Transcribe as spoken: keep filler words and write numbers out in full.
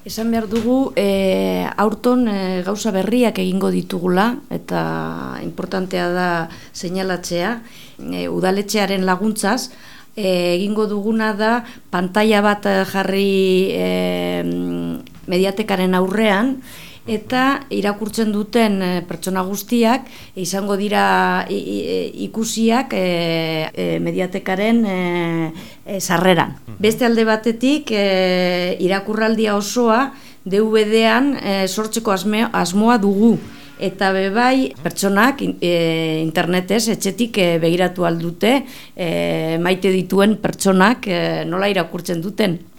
Esan behar dugu, e, aurton e, gauza berriak egingo ditugula, eta importantea da seinalatzea, e, udaletxearen laguntzaz, e, egingo duguna da pantaila bat jarri e, mediatekaren aurrean, eta irakurtzen duten pertsona guztiak izango dira ikusiak e, e, mediatekaren e, e, sarreran. Beste alde batetik e, irakurraldia osoa D V D-an e, sortzeko asme, asmoa dugu. Eta bebai pertsonak e, internetez etxetik e, begiratu aldute e, maite dituen pertsonak e, nola irakurtzen duten.